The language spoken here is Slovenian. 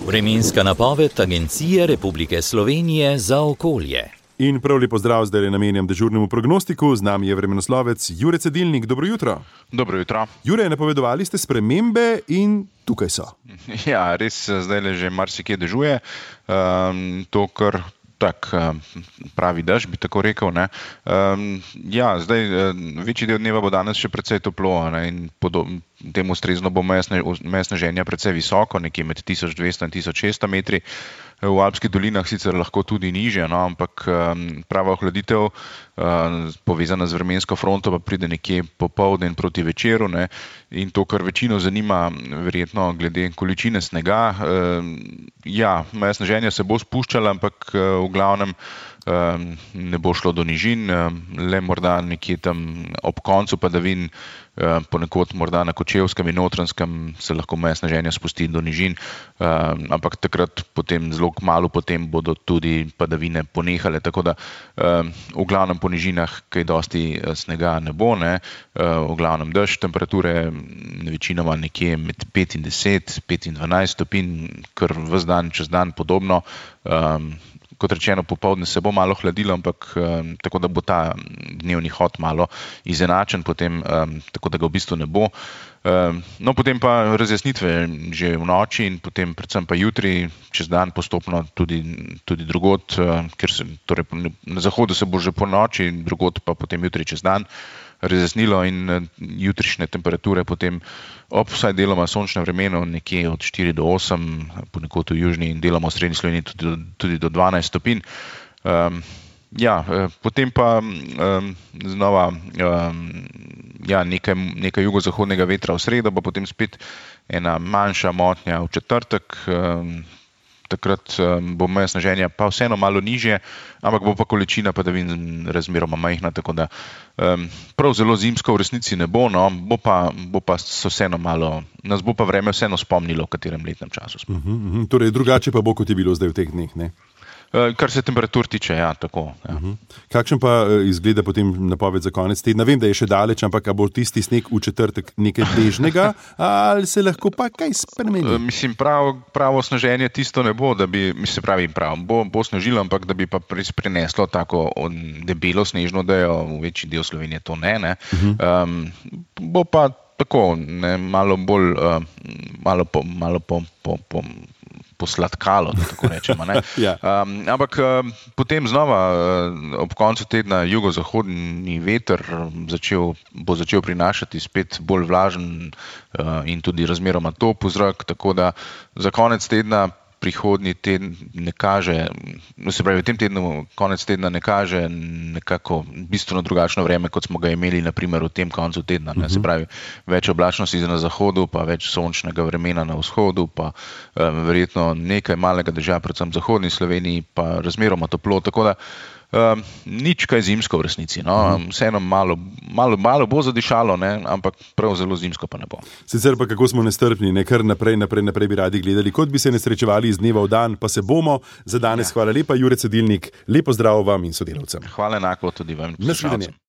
Vremenska napoved Agencije Republike Slovenije za okolje. In prav lepo zdrav, zdaj namenjam dežurnemu prognostiku. Z nami je vremenoslovec Jure Cedilnik. Dobro jutro. Dobro jutro. Jure, napovedovali ste spremembe in tukaj so. Ja, res zdaj že marsikje dežuje. To, kar pravi dež, bi tako rekel. Ne. Ja, zdaj večji del dneva bo danes še precej toplo, ne, in temu ustrezno bo meje sneženja precej visoko, nekje med 1200 in 1600 metri. V Alpskih dolinah sicer lahko tudi nižje, no, ampak prava ohladitev povezana z vremensko fronto pa pride nekje popoldne in proti večeru, ne. In to, kar večino zanima, verjetno glede količine snega, ja, meja sneženja se bo spuščala, ampak v glavnem ne bo šlo do nižin, le morda nekje tam ob koncu padavin, ponekod morda na Kočevskem in Notranjskem se lahko meja sneženja spusti do nižin, ampak takrat potem zelo kmalu potem bodo tudi padavine ponehale, tako da v glavnem po nižinah kaj dosti snega ne bo, ne, v glavnem dež, temperature večinoma nekje med 5 in 10, 5 in 12 stopinj, kar ves dan, čez dan podobno. Kot rečeno, popoldne se bo malo hladilo, ampak tako da bo ta dnevni hod malo izenačen potem, tako da ga v bistvu ne bo. No, potem pa razjasnitve že v noči in potem predvsem pa jutri, čez dan postopno tudi drugod, ker torej na zahodu se bo že po noči, drugod pa potem jutri čez dan razjasnilo in jutrišnje temperature potem ob vsaj deloma sončnem vremenu nekje od 4 do 8, ponekod v južni in deloma v srednji Sloveniji tudi do 12 stopinj. Ja, potem pa znova ja, nekaj jugozahodnega vetra v sredo, pa potem spet ena manjša motnja v četrtek. Takrat bo meja sneženja pa vseeno malo nižje, ampak bo pa količina padavin razmeroma majhna, tako da prav zelo zimsko v resnici ne bo, no, bo pa se vseeno malo, nas bo pa vreme vseeno spomnilo, v katerem letnem času smo. Torej drugače pa bo, kot je bilo zdaj v teh dneh, ne? Kar se temperatur tiče, ja, tako. Ja. Kakšen pa izgleda potem napoved za konec tedna? Vem, da je še daleč, ampak bo tisti sneg v četrtek nekaj dežnega, ali se lahko pa kaj spremeni? Mislim, pravo sneženje tisto ne bo, da bi, mislim, pravi prav, bo snežilo, ampak da bi pa prineslo tako debelo snežno odejo, v večji del Slovenije to ne. Bo pa tako, ne, malo bolj, posladkalo, da tako rečemo. Ne? Ja. Ampak potem znova ob koncu tedna jugozahodni veter bo začel prinašati spet bolj vlažen in tudi razmeroma topel zrak, tako da za konec tedna prihodnji teden ne kaže, se pravi, v tem tednu konec tedna ne kaže nekako bistveno drugačno vreme, kot smo ga imeli na primer v tem koncu tedna. Ne? Se pravi, več oblačnosti na zahodu, pa več sončnega vremena na vzhodu, pa verjetno nekaj malega dežja, predvsem v zahodni Sloveniji, pa razmeroma toplo, tako da nič kaj zimsko v resnici. No? Vseeno malo bo zadišalo, ne? Ampak prav zelo zimsko pa ne bo. Sicer pa kako smo nestrpni, ne? Kar naprej bi radi gledali, kot bi se nesrečevali iz dneva v dan, pa se bomo. Za danes hvala lepa, Jure Cedilnik, lepo zdrav vam in sodelavcem. Hvala enako tudi vam. Nasvidenje.